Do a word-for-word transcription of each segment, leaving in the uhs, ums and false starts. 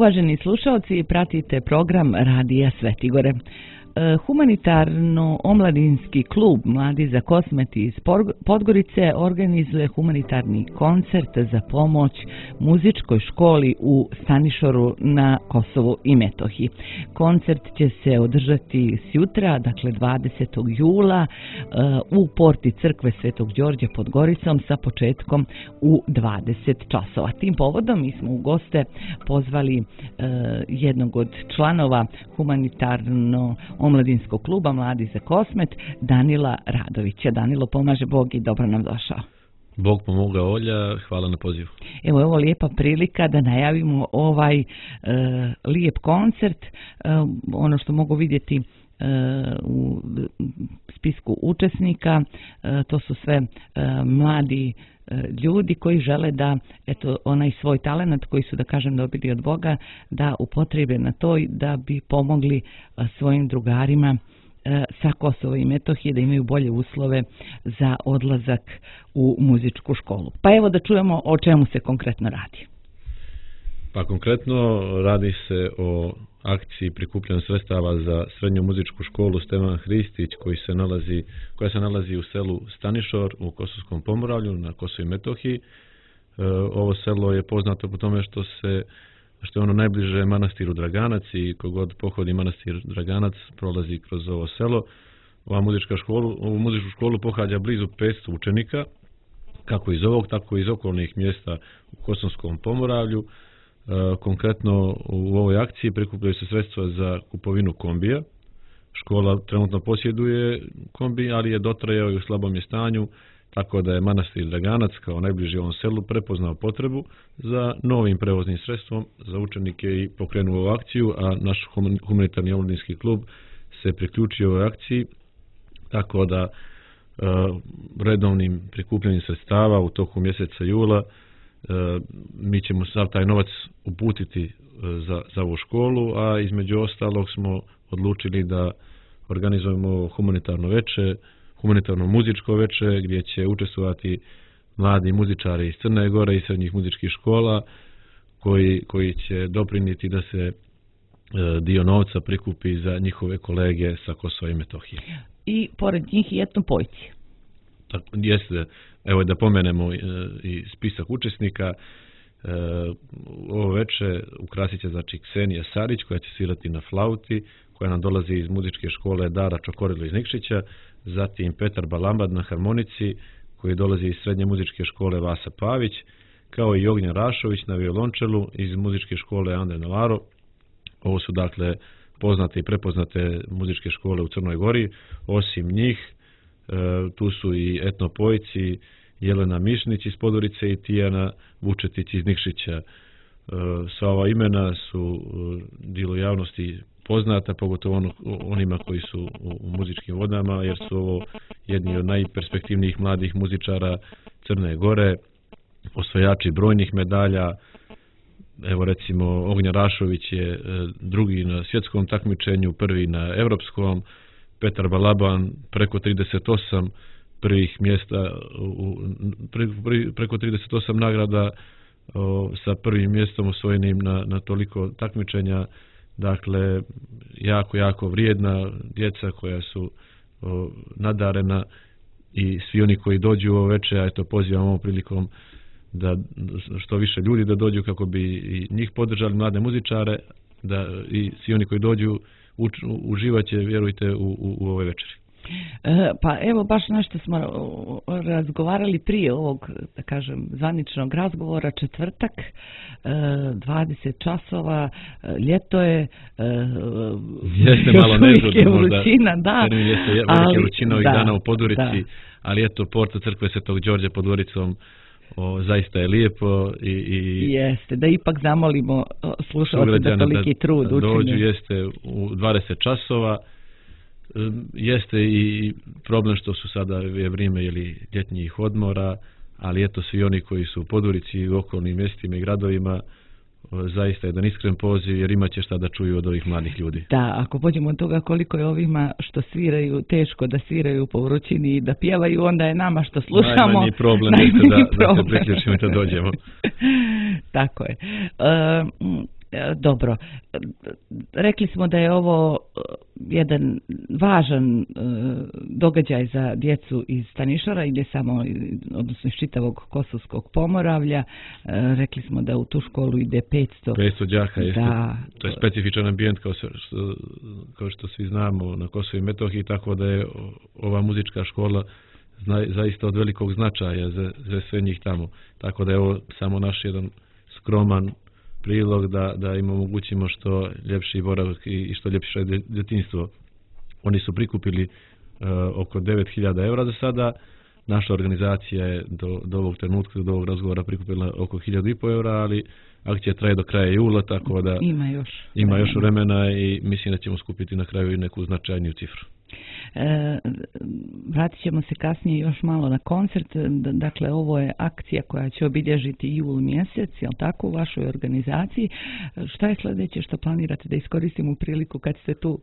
Uvaženi slušalci, pratite program Radija Svetigore. Humanitarno-omladinski klub Mladi za Kosmet iz Podgorice organizuje humanitarni koncert za pomoć muzičkoj školi u Stanišoru na Kosovu i Metohiji. Koncert će se održati sjutra, dakle dvadesetog jula, u porti crkve Svetog Đorđa pod Goricom sa početkom u dvadeset časova. Tim povodom mi smo u goste pozvali jednog od članova humanitarno omladinskog kluba Mladi za Kosmet, Danila Radovića. Danilo, pomaže Bog i dobro nam došao. Bog pomoga, Olja, hvala na pozivu. Evo je ovo lijepa prilika da najavimo ovaj e, lijep koncert. E, ono što mogu vidjeti e, u spisku učesnika, e, to su sve e, mladi ljudi koji žele da eto onaj svoj talent koji su, da kažem, dobili od Boga, da upotrebe na to da bi pomogli svojim drugarima sa Kosova i Metohije da imaju bolje uslove za odlazak u muzičku školu. Pa evo da čujemo o čemu se konkretno radi. Pa konkretno radi se o akciji prikupljanja sredstava za srednju muzičku školu Stevan Hristić koji se nalazi, koja se nalazi u selu Stanišor u Kosovskom Pomoravlju na Kosovu i Metohiji. E, ovo selo je poznato po tome što se što je ono najbliže manastiru Draganac i kogod pohodi manastir Draganac prolazi kroz ovo selo. Ova muzička školu, ovu muzičku školu pohađa blizu petsto učenika, kako iz ovog, tako i iz okolnih mjesta u Kosovskom Pomoravlju. E, konkretno u ovoj akciji prikupljaju se sredstva za kupovinu kombija. Škola trenutno posjeduje kombi, ali je dotrajao i u slabom je stanju, tako da je manastir Draganac kao najbliži ovom selu prepoznao potrebu za novim prevoznim sredstvom za učenike i pokrenuo ovu akciju, a naš humanitarni omladinski klub se priključio ovoj akciji, tako da e, redovnim prikupljanjem sredstava u toku mjeseca jula mi ćemo sav taj novac uputiti za, za ovu školu, a između ostalog smo odlučili da organizujemo humanitarno veče, humanitarno muzičko veče gdje će učestvovati mladi muzičari iz Crne Gore i srednjih muzičkih škola koji, koji će doprinijeti da se dio novca prikupi za njihove kolege sa Kosova i Metohije. I pored njih i etnopojci. Tako, jeste, evo da pomenemo i spisak učesnika. E, ovo veče ukrasit će znači Ksenija Sarić koja će svirati na flauti, koja nam dolazi iz muzičke škole Dara Čokorilo iz Nikšića, zatim Petar Balambad na harmonici koji dolazi iz srednje muzičke škole Vasa Pavić, kao i Ognjen Rašović na violončelu iz muzičke škole Andre Novaro. Ovo su dakle poznate i prepoznate muzičke škole u Crnoj Gori. Osim njih e, tu su i etnopojci Jelena Mišnić iz Podgorice i Tijana Vučetić iz Nikšića. E, sva ova imena su e, dijelu javnosti poznata, pogotovo ono, onima koji su u, u muzičkim vodama, jer su ovo jedni od najperspektivnijih mladih muzičara Crne Gore, osvajači brojnih medalja. Evo recimo Ognjen Rašović je e, drugi na svjetskom takmičenju, prvi na europskom. Petar Balaban preko trideset osam prvih mjesta, u, pre, pre, preko trideset osam nagrada o, sa prvim mjestom osvojenim na, na toliko takmičenja. Dakle, jako, jako vrijedna djeca koja su o, nadarena i svi oni koji dođu u ovo veče, a eto pozivam ovom prilikom da što više ljudi da dođu kako bi i njih podržali, mlade muzičare, da i svi oni koji dođu uč, uživaće, vjerujte, u, u, u ove večeri. E, pa evo baš nešto smo razgovarali prije ovog, da kažem, zvaničnog razgovora, četvrtak, e, dvadeset časova, ljeto je, e, jeste malo nezgodno, vrućina, da, termin jeste velike vrućina ovih da, dana u Podgorici, da. Ali eto, porta crkve Svetog Đorđa pod Goricom o, zaista je lijepo i, i jeste, da ipak zamolimo slušalce da toliki trud da učinje. Dođu, jeste u dvadeset časova. Jeste i problem što su sada je vrijeme ili ljetnjih odmora, ali eto svi oni koji su u Podgorici i u okolnim mjestima i gradovima, zaista jedan iskren poziv, jer imat će šta da čuju od ovih mladih ljudi. Da, ako pođemo od toga koliko je ovima što sviraju teško da sviraju po vrućini i da pjevaju, onda je nama što slušamo najmanji problem jeste da, da se priključimo i da dođemo. Tako je. E, Dobro, rekli smo da je ovo jedan važan događaj za djecu iz Stanišora i ne samo, odnosno iz čitavog Kosovskog Pomoravlja. Rekli smo da u tu školu ide petsto đaka, jeste. Da, to je specifičan ambijent kao što, kao što svi znamo na Kosovu i Metohiji, tako da je ova muzička škola zna, zaista od velikog značaja za, za sve njih tamo. Tako da je ovo samo naš jedan skroman prilog da, da im omogućimo što ljepši boravak i, i što ljepše djetinjstvo. Oni su prikupili uh, oko devet hiljada eura za sada. Naša organizacija je do, do ovog trenutka, do ovog razgovora prikupila oko hiljadu i po eura, ali akcija traje do kraja jula, tako da ima još ima još vremena i mislim da ćemo skupiti na kraju i neku značajniju cifru. E, vratit ćemo se kasnije još malo na koncert. Dakle, ovo je akcija koja će obilježiti jul mjesec, jel tako, u vašoj organizaciji. Šta je sljedeće što planirate da iskoristimo u priliku kad ste tu?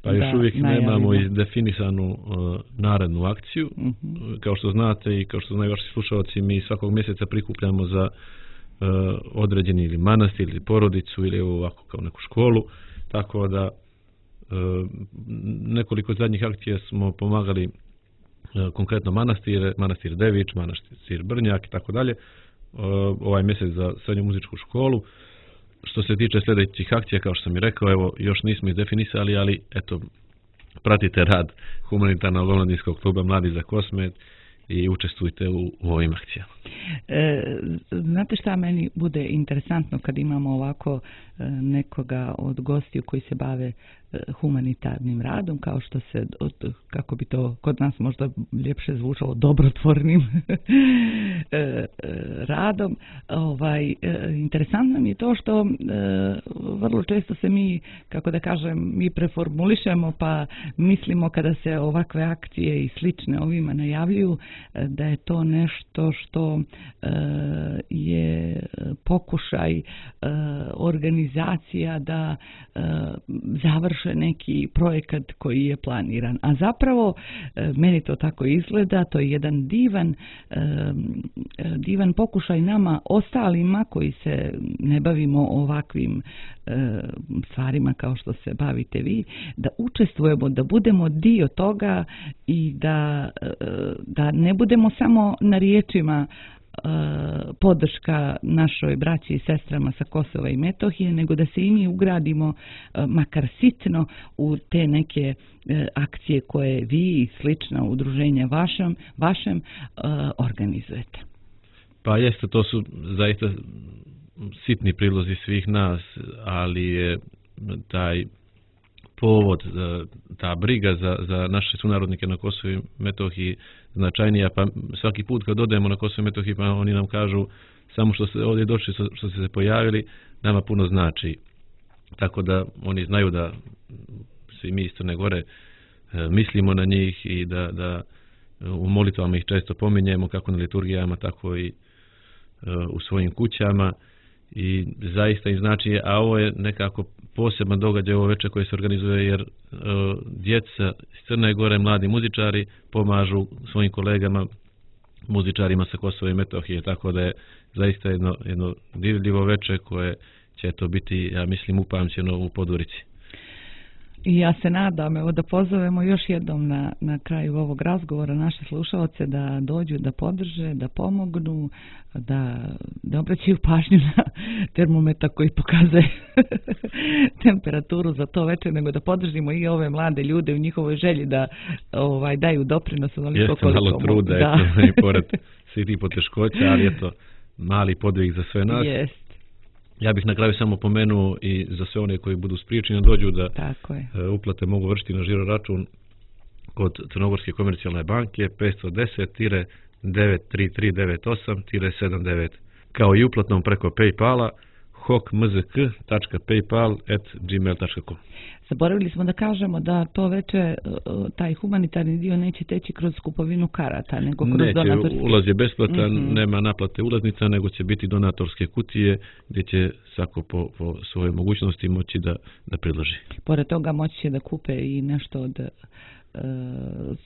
Pa još uvijek nemamo definisanu uh, narednu akciju. Uh-huh. Kao što znate i kao što znaju vaši slušalci, mi svakog mjeseca prikupljamo za uh, određeni ili manastir ili porodicu ili ovako kao neku školu, tako da nekoliko zadnjih akcija smo pomagali konkretno manastire, manastir Dević, manastir Brnjak i tako dalje, ovaj mjesec za srednju muzičku školu. Što se tiče sljedećih akcija, kao što sam i rekao, evo, još nismo izdefinisali, ali eto, pratite rad humanitarnog omladinskog kluba Mladi za Kosmet i učestvujte u, u ovim akcijama. E, znate šta meni bude interesantno kad imamo ovako e, nekoga od gostiju koji se bave e, humanitarnim radom, kao što se, od, kako bi to kod nas možda ljepše zvučalo, dobrotvornim e, e, radom. Ovaj, e, interesantno mi je to što e, vrlo često se mi, kako da kažem, mi preformulišemo pa mislimo kada se ovakve akcije i slične ovima najavljuju da je to nešto što je pokušaj organizacija da završe neki projekat koji je planiran. A zapravo meni to tako izgleda, to je jedan divan divan pokušaj nama ostalima koji se ne bavimo ovakvim stvarima kao što se bavite vi, da učestvujemo, da budemo dio toga i da, da ne budemo samo na riječima podrška našoj braći i sestrama sa Kosova i Metohije, nego da se i mi ugradimo makar sitno u te neke akcije koje vi i slična udruženja vašem, vašem organizujete. Pa jeste, to su zaista sitni prilozi svih nas, ali je taj povod, ta briga za, za naše sunarodnike na Kosovu i Metohiji značajnija, pa svaki put kad odemo na Kosovo i Metohiji, pa oni nam kažu samo što se ovdje došli, što se pojavili, nama puno znači. Tako da oni znaju da svi mi iz Crne Gore mislimo na njih i da, da u molitvama ih često pominjemo, kako na liturgijama, tako i u svojim kućama. I zaista im znači, a ovo je nekako poseban događaj ovo večer koji se organizuje, jer uh, djeca iz Crne Gore, mladi muzičari pomažu svojim kolegama muzičarima sa Kosova i Metohije, tako da je zaista jedno, jedno divljivo večer koje će to biti, ja mislim, upamćeno u Podgorici. I ja se nadam, evo, da pozovemo još jednom na, na kraju ovog razgovora naše slušalce da dođu, da podrže, da pomognu, da, da obraćaju pažnju na termometar koji pokazuje temperaturu za to večer, nego da podržimo i ove mlade ljude u njihovoj želji da ovaj, daju doprinos. Jeste malo truda, da. Eto, i pored svih tih poteškoća, ali eto, mali podvig za sve nas. Jest. Ja bih na kraju samo pomenuo i za sve one koji budu spriječeni dođu da uplate mogu vršiti na žiro račun kod Crnogorske komercijalne banke petsto deset devet tri tri devet osam sedam devet, kao i uplatnom preko PayPala hokmzk tačka paypal at gmail tačka com. Zaboravili smo da kažemo da to veče taj humanitarni dio neće teći kroz kupovinu karata, nego kroz neće, donatorske. Ulaz je besplatan, mm-hmm. nema naplate ulaznica, nego će biti donatorske kutije gdje će svako po, po svojoj mogućnosti moći da, da predloži. Pored toga moći će da kupe i nešto od uh,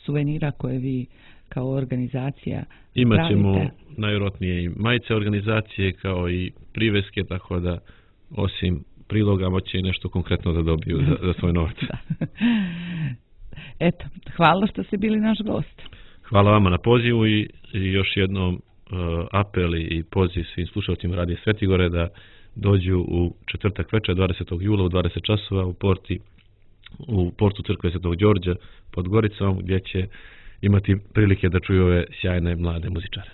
suvenira koje vi kao organizacija Imaćemo pravite. Najvjerojatnije i majice organizacije kao i priveske, tako da osim priloga moći nešto konkretno da dobiju za, za svoj novac. Eto, hvala što ste bili naš gost. Hvala vama na pozivu i, i još jednom uh, apel i poziv svim slušalcima Radija Svetigore da dođu u četvrtak večer dvadesetog jula u dvadeset časova u porti u portu Crkve Svetog Đorđa pod Goricom, gdje će imati prilike da čuju ove sjajne mlade muzičare.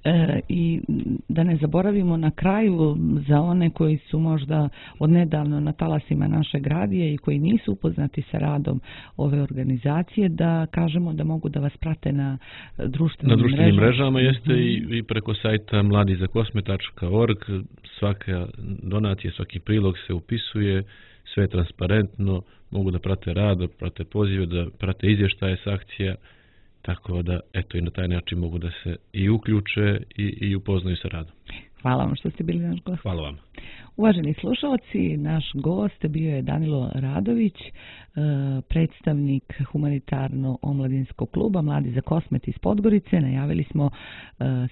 E, I da ne zaboravimo na kraju za one koji su možda odnedavno na talasima našeg radija i koji nisu upoznati sa radom ove organizacije, da kažemo da mogu da vas prate na društvenim, na društvenim mrežama. mrežama jeste mm-hmm. i, i preko sajta mladi za kosme tačka org. Svaka donacija, svaki prilog se upisuje, sve je transparentno, mogu da prate rad, da prate pozive, da prate izvještaje s akcija. Tako da, eto, i na taj način mogu da se i uključe i, i upoznaju sa radom. Hvala vam što ste bili naš gost. Hvala vam. Uvaženi slušalci, naš gost bio je Danilo Radović, predstavnik humanitarno-omladinskog kluba Mladi za Kosmet iz Podgorice. Najavili smo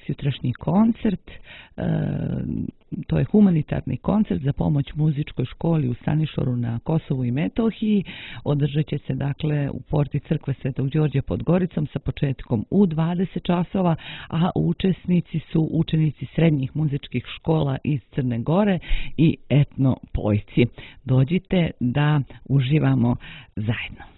sutrašnji koncert. To je humanitarni koncert za pomoć muzičkoj školi u Stanišoru na Kosovu i Metohiji. Održat će se dakle u porti Crkve Svetog Đorđa pod Goricom sa početkom u dvadeset časova, a učesnici su učenici srednjih muzičkih škola iz Crne Gore i etno pojci. Dođite da uživamo zajedno.